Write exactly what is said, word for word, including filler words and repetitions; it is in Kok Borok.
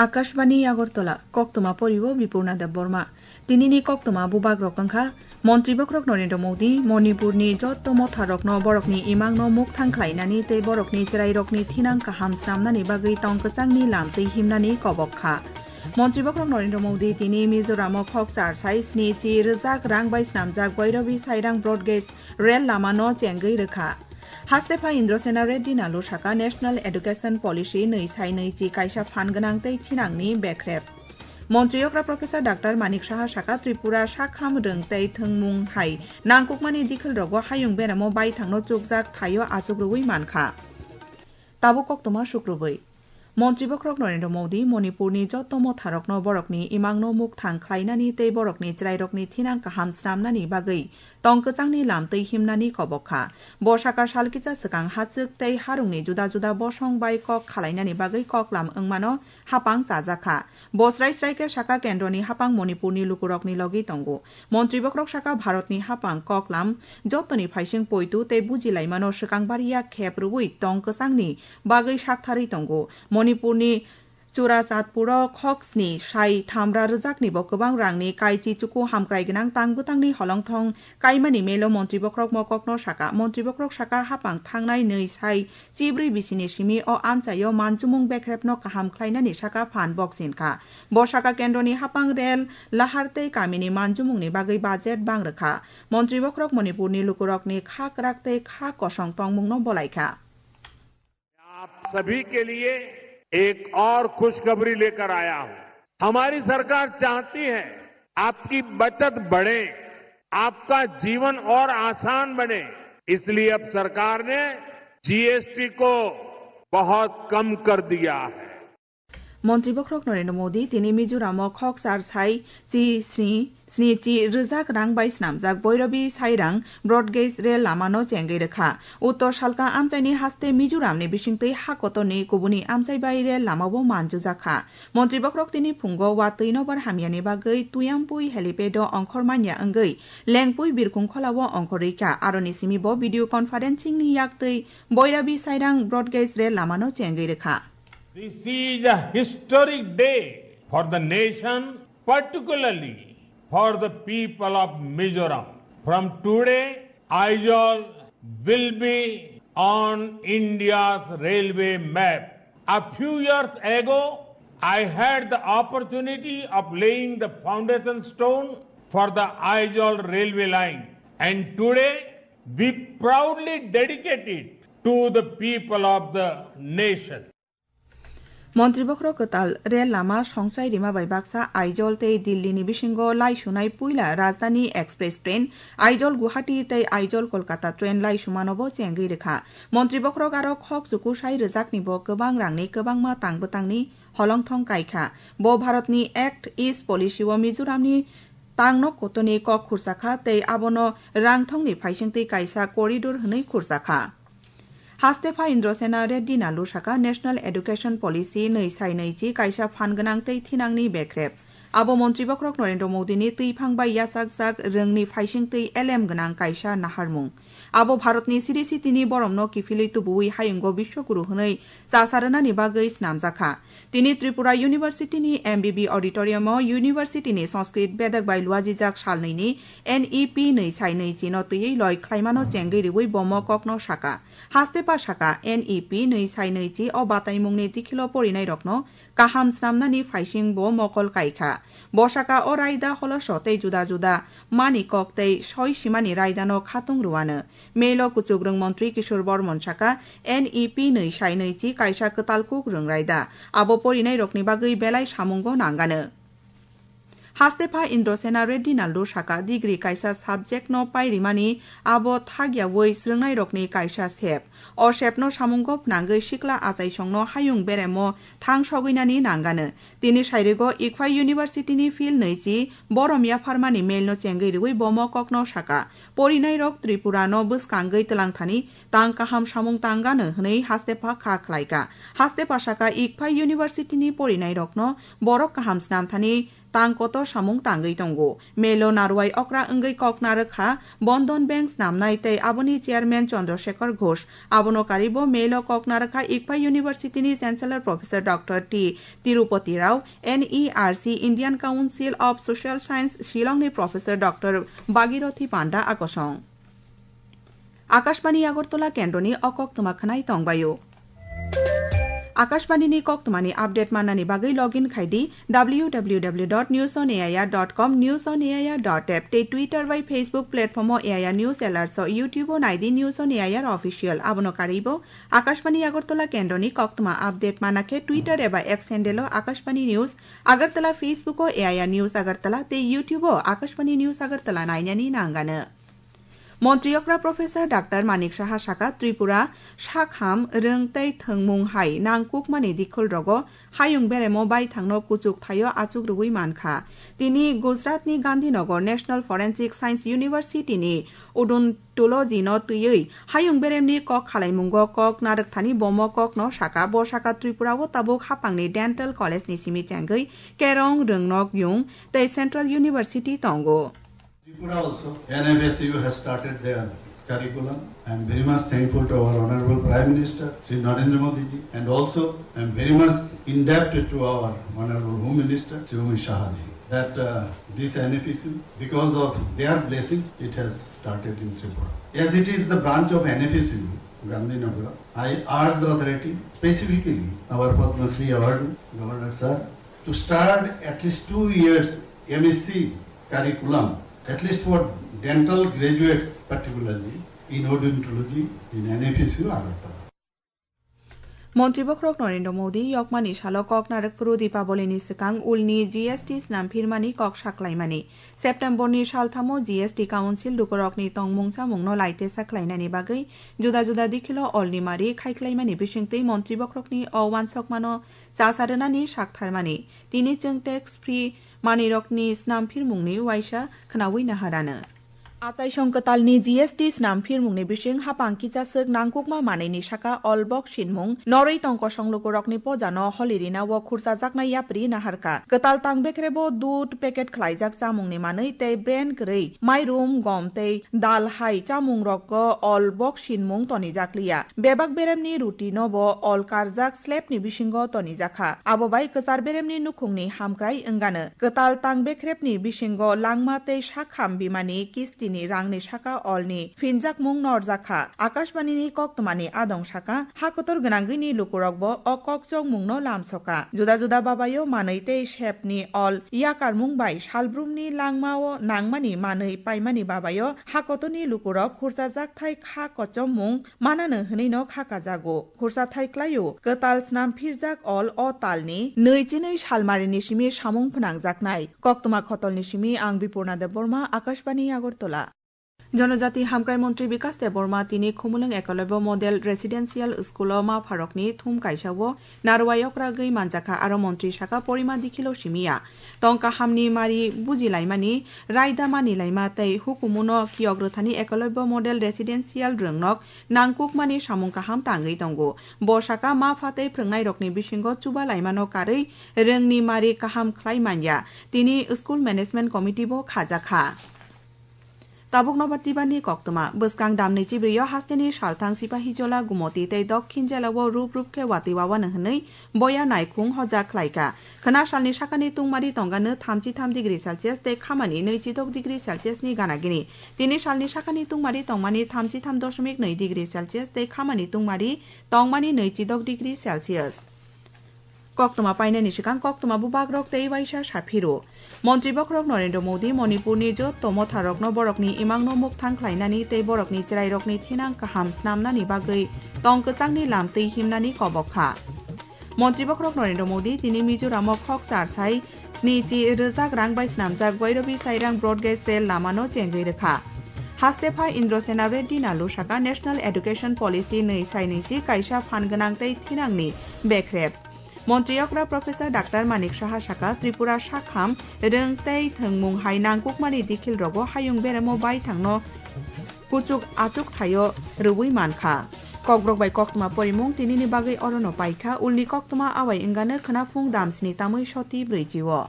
Akashbani Agartala, koktwma poribo Bipurna Debbarma. Tinini koktwma bubagrok wngkha, Montri bokhorok Narendra Modi, Manipurni jotto motharokno borokni imangno mukthang khlainani tei borokni chwrairokni thinang kaham snamnani bagwi tong kwchangni lam twi himnani kobok kha. Montri bokhorok Narendra Modi tini Mizoramo khok char sai sni chi rwjak rang bai snamjak Boirabi Sairang Broad Gauge rel lamano chengwi rwkha. Hastepha Indrasena Reddy Nalu saka National Education Policy nwi sai nwi chi kaisa phan gwnang tei thinangni bekrep. Montri okra Professor Doctor Manik Saha saka Tripura sakham rwng tei thwngmung hai nangkukmani dikhilrogo hayung beramo baithangno chukjak thaio achuk rwui mankha. Tabuk koktwma sukrubui. Montri bokhorok Narendra Modi Manipurni jotto motharokno borokni imangno mukthang khlainani tei borokni chwrairokni thinang kaham snamnani bagwi tong kwchangni lam twi himnani kobok kha. Bo saka sal kisa swkang hachwk tei harungni juda juda bosong bai kok khalainani bagwi koklam wngmano hapang chajak kha. Bo srai srai khe saka kendroni hapang Manipurni lukurokni logi tongo. Montri bokhorok saka Bharatni hapang koklam jottoni phaising poitu tei bujilaimano swkang bariya khep rwui tong kwchangni bagwi saktharwi tongo. Manipurni Churachandpuro khok sni sai thamra rwjakni bo kwbang rangni kaichi chuku hamkrai gwnang tang bwtangni holongthong kaimani melo Montri bokhorok mokokno saka. Montri bokhorok saka hapang thangnai nwi sai chibrwi bisini simi o amchaio manchumung bekrepno kaham khlainani saka phan boksin kha. Bo saka kendroni hapang rel, lahar tei kamini manchumungni bagwi budget bang rwkha. Montri bokhorok Manipurni lukurokni kha kwrak tei kha kosong tongmungno bolai kha. आप सभी के लिए एक और खुशखबरी लेकर आया हूं। हमारी सरकार चाहती है आपकी बचत बढ़े, आपका जीवन और आसान बने, इसलिए अब सरकार ने जीएसटी को बहुत कम कर दिया है। Montri bokhorok Narendra Modi tini Mizoramo khok char sai chi sni sni chi rwjak rang bai snamjak Boirabi Sairang Broad Gauge rel lamano chengwi rwkha. Uttor salka amchaini haste Mizoramni bisingtwi ha kotorni kubuni amchai bai rel lamao manjujak kha. Montri bokhorok tini phungo watwi nobar hamyani bagwi Tuyampui helipad-o ongkhor manya wngwi Lengpui birkhung kholao ongkhorwi kha. Aroni simi bo video conferencing-ni yaktwi Boirabi Sairang Broad Gauge rel lamano chengwi rwkha. This is a historic day for the nation, particularly for the people of Mizoram. From today, Aizawl will be on India's railway map. A few years ago, I had the opportunity of laying the foundation stone for the Aizawl railway line. And today, we proudly dedicate it to the people of the nation. Montri bokhorok kwtal rel lama songchai rima bai baksa Aizawl tei Delhi ni bisingo lai sunai puila Rajdhani Express train, Aizawl Guwahati tei Aizawl Kolkata train lai sumano bo chengwi rwkha. Montri bokhorok aro khok chuku sai rwjakni bo kwbang rangni kwbangma tang bwtangni holongthong kai kha. Bo Bharatni Act East Policy o Mizoramni tangno kotoni kok khursa kha tei abono rangthongni phaisingtwi kaisa corridor hwnwi khursa kha. Hastepha Indrasena Reddy Nalu saka National Education Policy nwi sai nwi chi kaisa phan gwnang tei thinangni bekrep. Abo Montri bokhorok Narendra Modini twiphang bai yachakjak rwngni phaisingtwi elem gwnang kaisa naharmung. Abo Bharatni siri sitini boromno kiphilwi tubuwi hayungo Biswaguru hwnwi chasa rwnani bagwi snamjakha. Tini Tripura University ni M B B auditorium o University ni Sanskrit bedek bai luajijak salnwi ni N E P nwi sai nwi chi no twiwi loi khlaimano chengwi riwi bo mokokno saka. Hastepha saka N E P nwi sai nwi chi o bataimungni dikhilo porinairokno kaham snamnani phaising bo mokol kai kha. Bo saka o raida holoso tei juda juda mani kok tei soi simani raidano khatung rwano. Melo kuchukrwng montri Kishore Bormon saka N E P nwi sai nwi chi kaisa kwtal kuk rwng raida. Abo porinairokni bagwi belai samungo nangano. Hastepha Indrasena Reddy Nallu saka degree kaisa subject no pairimani abo thagyawi swrwngnairokni kaisa sep. O sepno samungo phnangwi sikla achaisongno hayung beremo thang sogwinani nangano. Tini sairigo Ikphai University ni field nwi chi borom yapharmani mail no chengwi rwi bo mokokno saka. Porinairok Tripura no bwskangwi twlangthani tang kaham samung tangano hwnwi hastepha kha khlaika. Hastepha saka Ikphai University ni porinairokno borok kaham snamthani tang kotor samung tangwi tongo. Melo narwai okra wngwi kok narwkha Bandhan Bank snamnai tei aboni chairman Chandra Shekhar Ghosh. Abono karibo melo kok narwkha Ikphai University ni Chancellor Professor Doctor T Tirupati Rao, N E R C, Indian Council of Social Science, Shillong ni Professor Doctor Bhagirathi Panda akosong. Akashbani Agartala kendroni o koktwma khwnai tongbaio. Akashbani ni koktwmani update mannani bagwi login khai di W W W dot news on A I R dot com, news on A I R dot app tei Twitter bai Facebook platform o A I R News Alerts o YouTube o nai di News on A I R Official. Abono karwibo Akashbani Agartala kendroni koktwma update mana khe Twitter eba X handle o Akashbani News Agartala, Facebook o A I R News Agartala tei YouTube o Akashbani News Agartala nainani nangano. Montri okra Professor Doctor Manik Saha saka Tripura sakham rwng tei thwngmung hai nangkukmani dikhol rogo hayung beremo baithangno kuchuk thaio achuk rwui mankha. Tini Gujarat ni Gandhinagar National Forensic Science University ni Odontology no twiwi hayung beremni kok khalaimungo kok narwkthani bomo kokno saka. Bo saka Tripura o tabuk hapangni Dental College ni simi chengwi kerong rwngnok yung tei Central University tongo. Tripura also, N F S U has started their curriculum. I am very much thankful to our Honorable Prime Minister, Shri Narendra Modi ji, and also I am very much indebted to our Honorable Home Minister, Shri Amit Shah ji, that uh, this N F S U, because of their blessings, it has started in Tripura. As it is the branch of N F S U, Gandhinagar, I urge the authority, specifically our Padma Shri Award, Governor sir, to start at least two years M S C curriculum, at least for dental graduates particularly, in odontology, in N F S U Agartala. Montri bokhorok Narendra Modi yokmani salo kok narwk phuru Dipaboli ni swkang ulni G S T snam phirmani kok saklaimani. September ni salthamo G S T Council lukurokni tongmung chamungno laitesa khlainani bagwi juda juda dikhilo olni mari khaikhlaimani bisingtwi montri bokhorokni o uansukmano chasa rwnani saktharmani. Tini chwng tax free manwirokni snam phirmungni uaisa khwnaui naharano. Achaisong kwtalni G S T snam phirmungni bising hapang kichaswk nangkukma manwini saka olbok sinmung norwi tong kosong lukurokni pojano holirina o khurchajaknai yapri naharkha. Kwtal tang bekrebo dud packet khlaijak chamungni manwi tei brand kwrwi mairum, gom tei dal hai chamungrokgo olbok sinmung tonijakliya. Bebak beremni ruti no bo ol karjak slabni bisingo tonijakha. Abo bai kwchar beremni nukhungni hamkrai wngano. Kwtal tang bekrepni bisingo langma tei sakham bimani kistini rangni saka olni phinjakmung norjakha. Akashbani ni koktwmani adong saka, ha kotor gwnangwini lukurokbo o kokchokmungno lamsoka. Juda juda babayo manwi tei sepni ol yakarmung bai salbrumni langmao nangmani manwi paimani babayo ha kotorni lukurok khurchajak thai kha kochommung manano hwnwi no kha kajago. Khursa thai klaio, kwtal snam phirjak ol o talni nwi chinwi salmarini simi samung phnangjaknai. Koktwma khotolni simi ang Bipurna Debbarma, Akashbani Agartala. Jonojati Hamkrai Montri Bikas Debbarma tini Khumulwng Ekalobya Model Residential School o ma pharokni thum kaisa o narwai okra gwi manjakha, aro montri saka porima dikhilo simiya. Tong kahamni mari bujilaimani, raida manilaima tei hukumuno kiyok rwthani Ekalobya Model Residential rwngnok nangkukmani samung kaham tangwi tongo. Bo saka ma pha tei phrwngnairokni bisingo chuba laimano karwi rwngni mari kaham khlai manya. Tini School Management Committee bo khajakha. Tabuk nobar tibani koktwma. Bwskang damni chibrio hasteni salthang Sipahijola, Gumoti tei Dokhin jela o rup rup khe watwi wawana hwnwi boya naikhung hoja khlaikha. Khwna salni sakani tungmari tongano thamchi tham degree Celsius tei khamani nwichi dok degree Celsius ni gana gini. Tini salni sakani tungmari tongmani thamchi tham doshomik nwi degree Celsius tei khamani tungmari tongmani nwichi dok degree Celsius. Koktwma painani swkang koktwma bubagrok tei waisa saphiro. Montri bokhorok Narendra Modi Manipurni jotto motharokno borokni imangno mukthang khlainani tei borokni chwrairokni thinang kaham snamnani bagwi tong kwchangni lam twi himnani kobok kha. Montri bokhorok Narendra Modi tini Mizoramo khok char sai snichi rwjak rang bai snamjak Bhairavi Sairang Broad Gauge Rail lamano chengwi rwkha. Haste pha Indra Sena Reddy Nallu saka National Education Policy nwi sai nwichi kaisa phan gwnang tei thinangni bekrep. Montri okra Professor Doctor Manik Saha saka Tripura sakham rwng tei thwngmung hai nangkukmani dikhil rogo hayung beremo baithangno kuchuk achuk thaio rwui mankha. Kokborok bai koktwma porimung tinini bagwi orono paikha, ulni koktwma awai wngano khwnaphung damsni tamwi soti brwichi o.